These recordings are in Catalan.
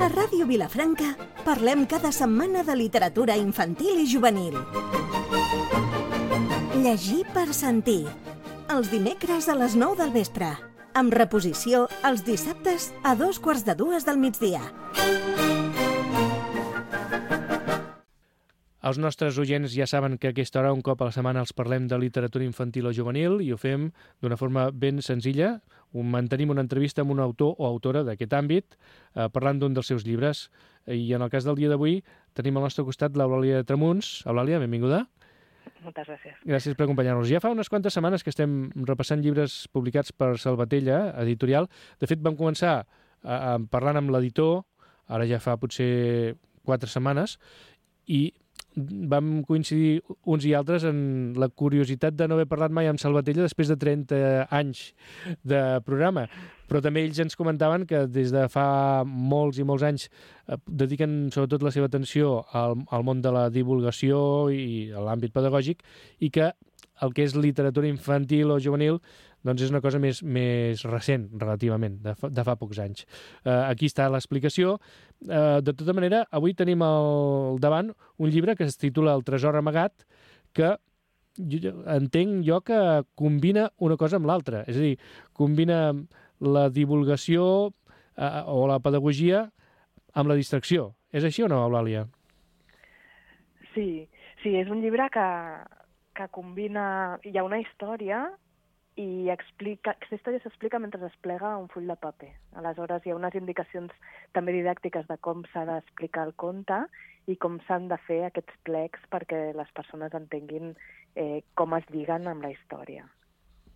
A Ràdio Vilafranca parlem cada setmana de literatura infantil i juvenil. Llegir per sentir. Els dimecres a les 9 del vespre. Amb reposició els dissabtes a 2:45 del migdia. Els nostres oients ja saben que a aquesta hora, un cop a la setmana, els parlem de literatura infantil o juvenil i ho fem d'una forma ben senzilla. Mantenim una entrevista amb un autor o autora d'aquest àmbit, parlant d'un dels seus llibres. I en el cas del dia d'avui tenim al nostre costat l'Eulàlia Tramuns. Eulàlia, benvinguda. Moltes gràcies. Gràcies per acompanyar-nos. Ja fa unes quantes setmanes que estem repassant llibres publicats per Salvatella, editorial. De fet, vam començar parlant amb l'editor, ara ja fa potser 4 setmanes, i vam coincidir uns i altres en la curiositat de no haver parlat mai amb Salvatella després de 30 anys de programa. Però també ells ens comentaven que des de fa molts i molts anys dediquen sobretot la seva atenció al món de la divulgació i a l'àmbit pedagògic, i que el que és literatura infantil o juvenil doncs és una cosa més recent, relativament, de fa pocs anys. Aquí està l'explicació. De tota manera, avui tenim al davant un llibre que es titula El tresor amagat, que entenc jo que combina una cosa amb l'altra. És a dir, combina la divulgació o la pedagogia amb la distracció. És així o no, Eulàlia? Sí, és un llibre que combina... Hi ha una història i aquesta història s'explica mentre es plega un full de paper. Aleshores, hi ha unes indicacions també didàctiques de com s'ha d'explicar el conte i com s'han de fer aquests plecs perquè les persones entenguin com es lliguen amb la història.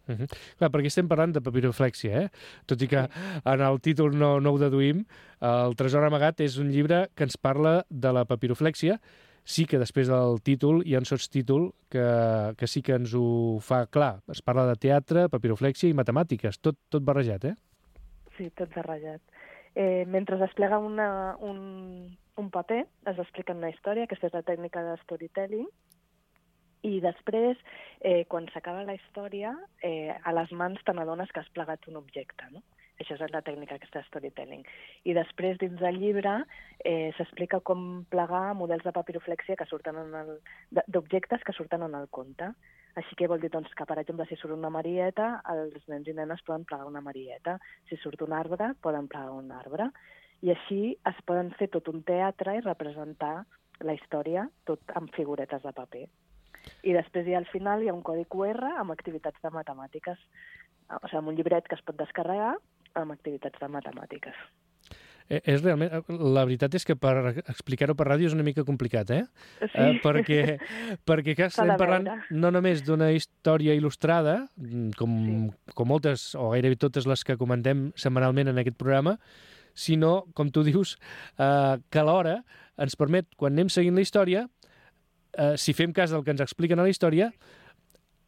Clar, perquè estem parlant de papiroflèxia, tot i que en el títol no ho deduïm. El tresor amagat és un llibre que ens parla de la papiroflèxia. Sí que després del títol hi ha un sotstítol que sí que ens ho fa clar. Es parla de teatre, papiroflèxia i matemàtiques, tot barrejat, Sí, tot barrejat. Mentre es plega un paper, es explica una història, aquesta és la tècnica de storytelling, i després, quan s'acaba la història, a les mans te n'adones que has plegat un objecte, no? Això és la tècnica aquesta de storytelling. I després, dins del llibre, s'explica com plegar models de papiroflèxia que surten d'objectes que surten en el conte. Així que vol dir doncs, que, per exemple, si surt una marieta, els nens i nenes poden plegar una marieta. Si surt un arbre, poden plegar un arbre. I així es poden fer tot un teatre i representar la història tot amb figuretes de paper. I després, al final, hi ha un codi QR amb activitats de matemàtiques. O sigui, amb un llibret que es pot descarregar amb activitats de matemàtiques. És realment... La veritat és que per explicar-ho per ràdio és una mica complicat, Sí. Perquè que estem parlant no només d'una història il·lustrada, com moltes o gairebé totes les que comentem setmanalment en aquest programa, sinó, com tu dius, que alhora ens permet, quan anem seguint la història, si fem cas del que ens expliquen a la història,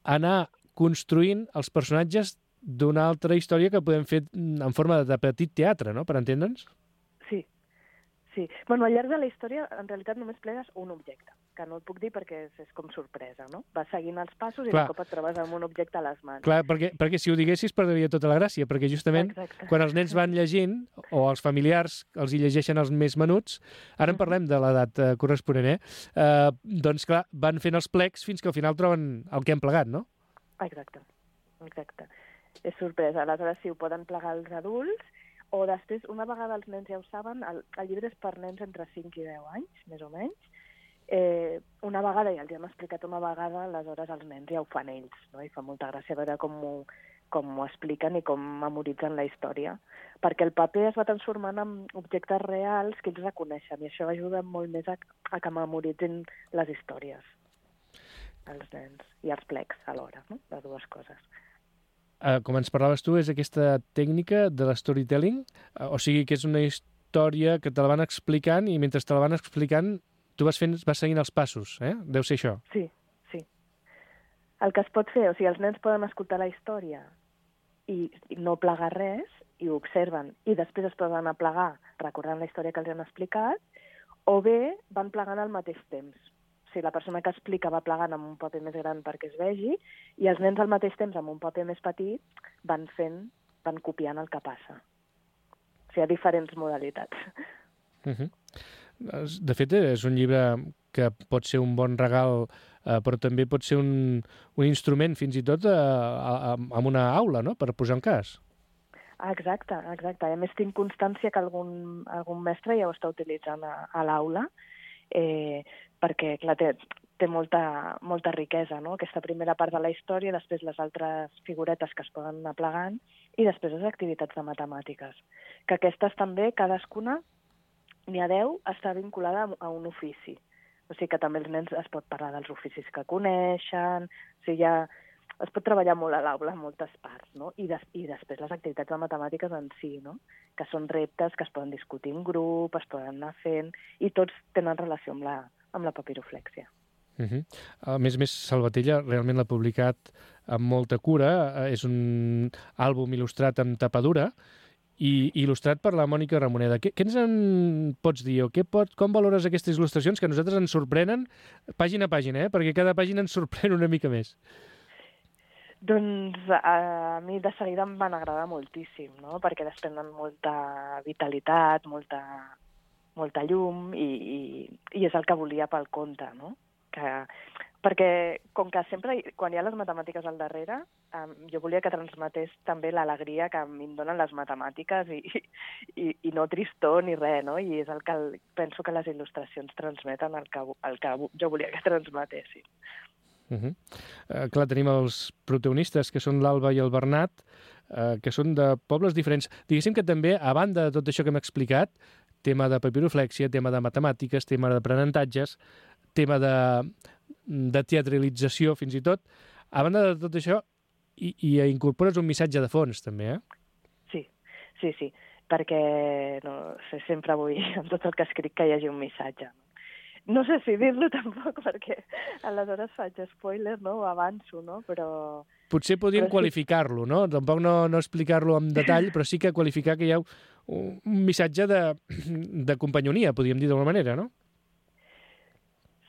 anar construint els personatges d'una altra història que podem fer en forma de petit teatre, no?, per entendre'ns? Sí. Bueno, al llarg de la història, en realitat, només plegues un objecte, que no et puc dir perquè és com sorpresa, no? Vas seguint els passos i de cop et trobes amb un objecte a les mans. Clar, perquè si ho diguessis perdria tota la gràcia, perquè justament quan els nens van llegint, o els familiars els hi llegeixen els més menuts, ara en parlem de l'edat corresponent, doncs clar, van fent els plecs fins que al final troben el que han plegat, no? Exacte. És sorpresa. Aleshores, sí, ho poden plegar els adults, o després, una vegada els nens ja ho saben, el llibre és per nens entre 5 i 10 anys, més o menys. Una vegada, ja els hem explicat una vegada, aleshores els nens ja ho fan ells, no? I fa molta gràcia veure com ho expliquen i com memoritzen la història. Perquè el paper es va transformant en objectes reals que ells reconeixen, i això ajuda molt més a que memoritzin les històries, els nens, i els plecs alhora, no? Les dues coses. Com ens parlaves tu, és aquesta tècnica de l'storytelling? O sigui que és una història que te la van explicant i mentre te la van explicant tu vas seguint els passos, Deu ser això. Sí. El que es pot fer, o sigui, els nens poden escoltar la història i no plegar res, i ho observen, i després es poden aplegar recordant la història que els han explicat, o bé van plegant al mateix temps. O sigui, la persona que explica va plegant amb un paper més gran perquè es vegi, i els nens al mateix temps, amb un paper més petit, van fent van copiant el que passa. O sigui, hi ha diferents modalitats. De fet, és un llibre que pot ser un bon regal, però també pot ser un instrument, fins i tot, en una aula, no?, per posar un cas. Exacte. A més, tinc constància que algun mestre ja ho està utilitzant a l'aula, perquè, clar, té molta riquesa, no?, aquesta primera part de la història, després les altres figuretes que es poden anar plegant, i després les activitats de matemàtiques, que aquestes també, cadascuna, n'hi ha 10, està vinculada a un ofici. O sigui que també els nens es pot parlar dels oficis que coneixen, o sigui, es pot treballar molt a l'aula en moltes parts, no? I després les activitats de matemàtiques en si, no?, que són reptes que es poden discutir en grup, es poden anar fent, i tots tenen relació amb la papiroflèxia. A més, Salvatella realment l'ha publicat amb molta cura. És un àlbum il·lustrat amb tapadura i il·lustrat per la Mònica Ramoneda. Què ens en pots dir? Com valores aquestes il·lustracions que a nosaltres ens sorprenen pàgina a pàgina, perquè cada pàgina ens sorprèn una mica més? Doncs a mi de seguida em van agradar moltíssim, no?, perquè desprenen molta vitalitat, molta llum, i és el que volia pel conte, no? Perquè, com que sempre, quan hi ha les matemàtiques al darrere, jo volia que transmetés també l'alegria que a mi em donen les matemàtiques i no tristor ni res, no? I és el que penso que les il·lustracions transmeten el que jo volia que transmetessin. Clar, tenim els protagonistes, que són l'Alba i el Bernat, que són de pobles diferents. Diguéssim que també, a banda de tot això que hem explicat, tema de papiroflèxia, tema de matemàtiques, tema d'aprenentatges, tema de teatralització, fins i tot, a banda de tot això, hi incorpores un missatge de fons, també, eh? Sí, perquè sempre vull, amb tot el que escric, que hi hagi un missatge. No sé si dir-lo tampoc, perquè aleshores faig spoiler, no?, o avanço, no?, però... Potser podríem qualificar-lo, no? Tampoc no explicar-lo en detall, però sí que qualificar que hi ha un missatge de companyonia, podríem dir d'alguna manera, no?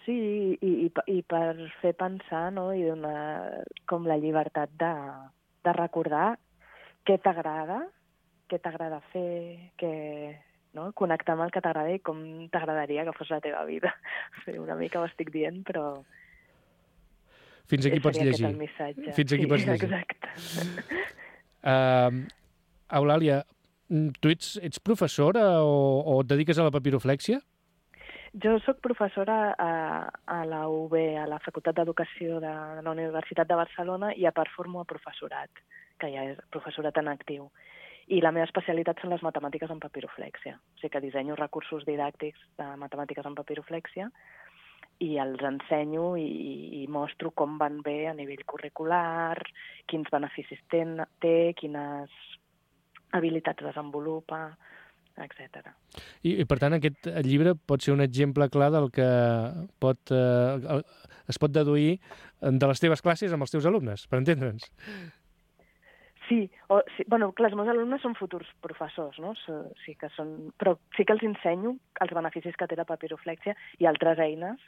Sí, i per fer pensar, no?, i donar com la llibertat de recordar què t'agrada fer, no?, connectar amb el que t'agrada i com t'agradaria que fos la teva vida. Una mica ho estic dient, però... Fins aquí pots llegir. Fins aquí pots llegir. Exacte. Eulàlia, tu ets professora o et dediques a la papiroflèxia? Jo soc professora a la UB, a la Facultat d'Educació de la Universitat de Barcelona, i a part formo a professorat, que ja és professorat en actiu. I la meva especialitat són les matemàtiques en papiroflèxia. O sigui que dissenyo recursos didàctics de matemàtiques en papiroflèxia i els ensenyo i mostro com van bé a nivell curricular, quins beneficis té, quines habilitats desenvolupa, etc. I per tant, aquest llibre pot ser un exemple clar del que es pot deduir de les teves classes amb els teus alumnes, per entendre'ns. Sí, clar, els meus alumnes són futurs professors, no? Però sí que els ensenyo els beneficis que té la papiroflèxia i altres eines,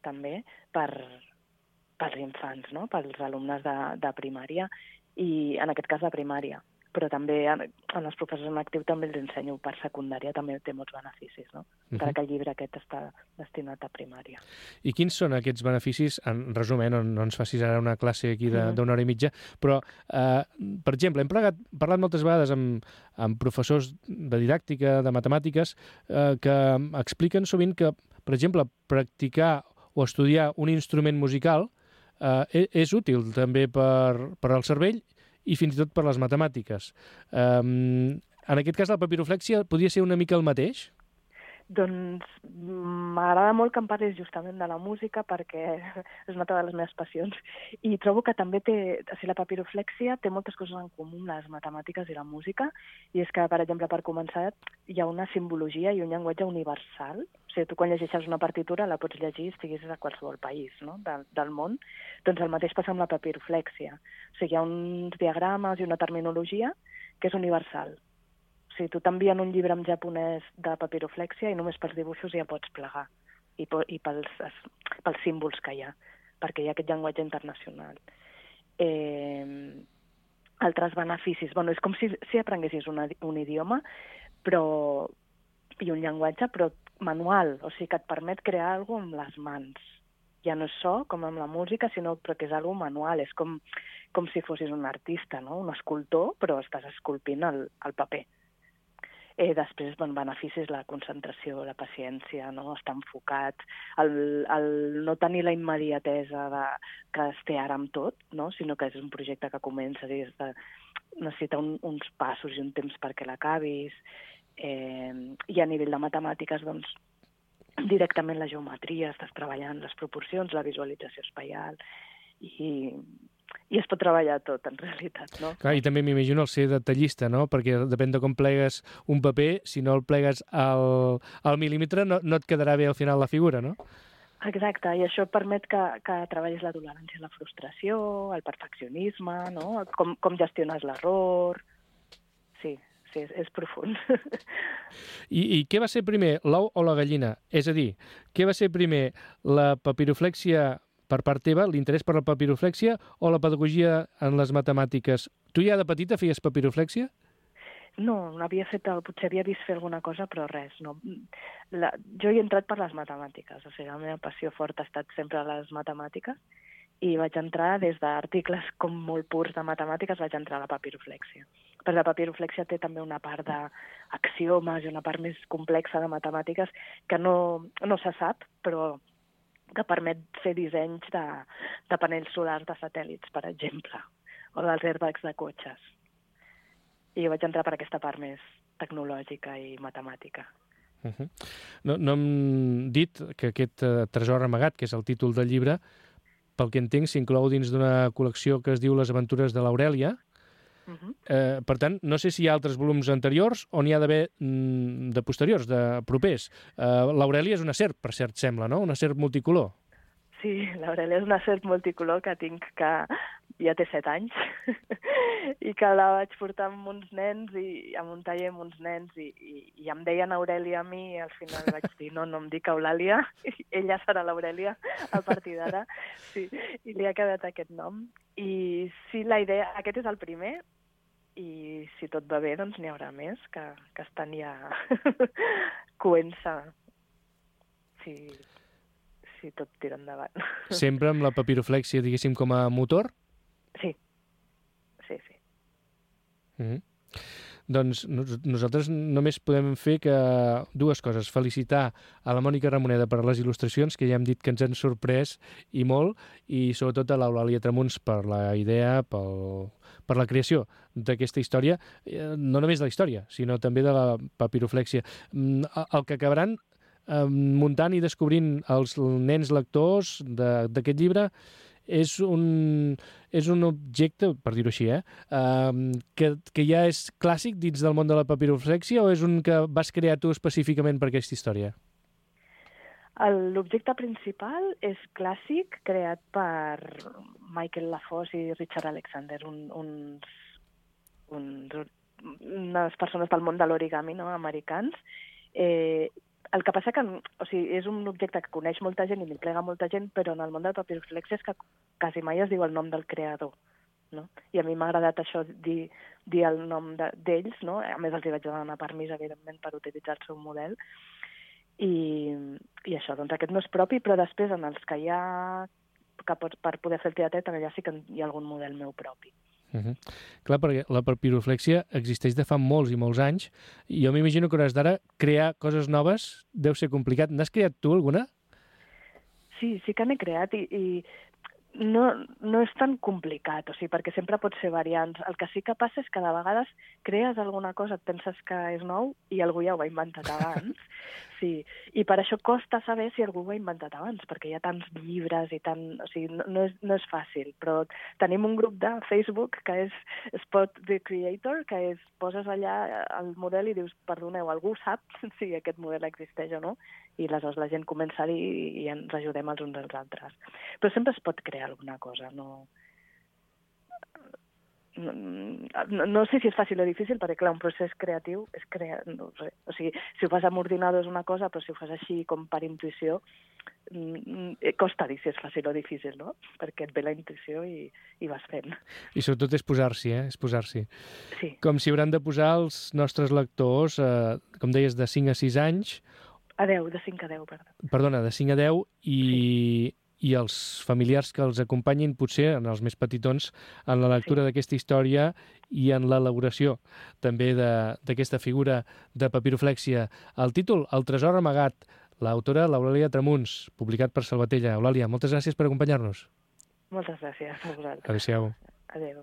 també, pels infants, no?, pels alumnes de primària, i en aquest cas de primària. Però també en els professors en actiu també els ensenyo per secundària, també té molts beneficis, no? Encara que el llibre aquest està destinat a primària. I quins són aquests beneficis? En resum, no ens facis ara una classe aquí d'una hora i mitja, però, per exemple, hem parlat moltes vegades amb professors de didàctica, de matemàtiques, que expliquen sovint que, per exemple, practicar o estudiar un instrument musical és útil també per al cervell i fins i tot per les matemàtiques. En aquest cas, la papiroflèxia podria ser una mica el mateix? Doncs m'agrada molt que em parlis justament de la música, perquè és una de les meves passions, i trobo que també la papiroflèxia té moltes coses en comú amb les matemàtiques i la música, i és que, per exemple, per començar, hi ha una simbologia i un llenguatge universal. O sigui, tu quan llegeixes una partitura la pots llegir estiguis a qualsevol país, no?, del món. Doncs el mateix passa amb la papiroflèxia. O sigui, hi ha uns diagrames i una terminologia que és universal. O sigui, tu t'envien un llibre en japonès de papiroflèxia i només pels dibuixos ja pots plegar, i pels símbols que hi ha, perquè hi ha aquest llenguatge internacional. altres beneficis. És com si aprenguessis un idioma i un llenguatge, però manual, o sigui que et permet crear alguna cosa amb les mans. Ja no és so, com amb la música, sinó que és alguna cosa manual, és com si fossis un artista, no? Un escultor, però estàs esculpint el paper. Després, beneficis, la concentració, la paciència, no? Estar enfocat, el no tenir la immediatesa que es té ara amb tot, no? Sinó que és un projecte que comença, necessita uns passos i un temps perquè l'acabis, i a nivell de matemàtiques, directament la geometria, estàs treballant les proporcions, la visualització espaial, i es pot treballar tot, en realitat, no? Clar, i també m'imagino el ser detallista, no? Perquè depèn de com plegues un paper, si no el plegues al mil·límetre no et quedarà bé al final la figura, no? Exacte, i això permet que treballis la tolerància a la frustració, el perfeccionisme, no? Com gestiones l'error... Sí, és profund. I què va ser primer, l'ou o la gallina? És a dir, què va ser primer, la papiroflèxia per part teva, l'interès per la papiroflèxia o la pedagogia en les matemàtiques? Tu ja de petita feies papiroflèxia? No, potser havia vist fer alguna cosa, però res. No. Jo hi he entrat per les matemàtiques, o sigui, la meva passió forta ha estat sempre les matemàtiques, i vaig entrar des d'articles com molt purs de matemàtiques, vaig entrar a la papiroflèxia. Però la papiroflèxia té també una part d'axiomes i una part més complexa de matemàtiques que no se sap, però que permet fer dissenys de panells solars de satèl·lits, per exemple, o dels airbags de cotxes. I jo vaig entrar per aquesta part més tecnològica i matemàtica. No hem dit que aquest tresor amagat, que és el títol del llibre, pel que entenc, s'inclou dins d'una col·lecció que es diu Les aventures de l'Aurèlia. Per tant, no sé si hi ha altres volums anteriors o n'hi ha d'haver de posteriors, de propers. L'Aurèlia és una serp, per cert, sembla, no? Una serp multicolor. Sí, l'Aurèlia és una serp multicolor que tinc, que ja té 7 anys, i que la vaig portar amb uns nens, i amb un taller amb uns nens, i em deien Aurèlia a mi, i al final vaig dir, no em dic Eulàlia, ella serà l'Aurèlia a partir d'ara, sí, i li ha quedat aquest nom. I sí, la idea, aquest és el primer, i si tot va bé, doncs n'hi haurà més, que estan ja coent-se, si tot tira endavant. Sempre amb la papiroflèxia, diguéssim, com a motor? Sí. Doncs nosaltres només podem fer que dues coses. Felicitar a la Mònica Ramoneda per les il·lustracions, que ja hem dit que ens han sorprès i molt, i sobretot a l'Eulàlia Tramuns per la idea, per la creació d'aquesta història, no només de la història, sinó també de la papiroflèxia. El que acabaran muntant i descobrint els nens lectors d'aquest llibre és un objecte, per dir-ho així, que ja és clàssic dins del món de la papiroflèxia, o és un que vas crear tu específicament per aquesta història? L'objecte principal és clàssic, creat per Michael LaFosse i Richard Alexander, unes persones del món de l'origami, no?, americans. El que passa que és un objecte que coneix molta gent i li plega molta gent, però en el món de la papiroflèxia és que quasi mai es diu el nom del creador, no? I a mi m'ha agradat això, dir el nom d'ells, no? A més, els hi vaig demanar permís, evidentment, per utilitzar el seu model. I això, doncs aquest no és propi, però després en els que hi ha, per poder fer el teatre, també ja sí que hi ha algun model meu propi. Clar, perquè la papiroflèxia existeix de fa molts i molts anys, i jo m'imagino que hores d'ara crear coses noves deu ser complicat. N'has creat tu alguna? Sí que n'he creat, i no és tan complicat, perquè sempre pot ser variants. El que sí que passa és que de vegades crees alguna cosa, et penses que és nou i algú ja ho ha inventat abans. Sí, i per això costa saber si algú ho ha inventat abans, perquè hi ha tants llibres i no és fàcil. Però tenim un grup de Facebook que és Spot the Creator, que poses allà el model i dius, perdoneu, algú sap si aquest model existeix o no? I aleshores la gent comença a dir i ens ajudem els uns als altres. Però sempre es pot crear alguna cosa, no? no sé si és fàcil o difícil, perquè clar, un procés creatiu és no sé, o sigui, si ho fas amb ordinador és una cosa, però si ho fas així com per intuïció, costa dir si és fàcil o difícil, no? Perquè et ve la intuïció i vas fent. I sobretot és posar-s'hi, és posar-s'hi. Sí. Com s'hi hauran de posar els nostres lectors, com deies, de 5 a 6 anys. A 10, de 5 a 10, perdó. Perdona, de 5 a 10 i els familiars que els acompanyin, potser, en els més petitons, en la lectura d'aquesta història i en l'elaboració també d'aquesta figura de papiroflèxia. El títol, El tresor amagat, l'autora l'Eulàlia Tramuns, publicat per Salvatella. Eulàlia, moltes gràcies per acompanyar-nos. Moltes gràcies a vosaltres. Adéu-siau. Adéu.